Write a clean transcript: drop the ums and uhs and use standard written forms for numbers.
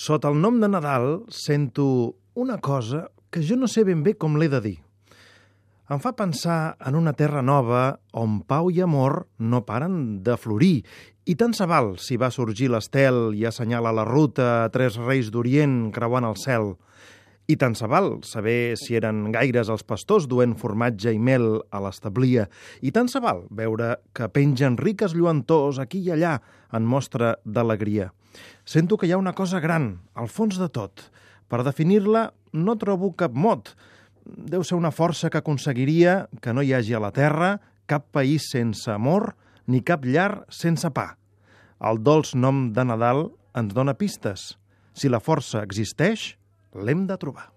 Sota el nom de Nadal sento una cosa que jo no sé ben bé com l'he de dir. Em fa pensar en una terra nova on pau i amor no paren de florir, i tant se val si va sorgir l'estel i assenyala la ruta a 3 reis d'Orient creuant el cel. I tant se val saber si eren gaires els pastors duent formatge i mel a l'establia. I tant se val veure que pengen riques lluentors aquí i allà en mostra d'alegria. Sento que hi ha una cosa gran, al fons de tot. Per definir-la no trobo cap mot. Deu ser una força que aconseguiria que no hi hagi a la terra cap país sense amor ni cap llar sense pa. El dolç nom de Nadal ens dona pistes. Si la força existeix, l'hem de trobar.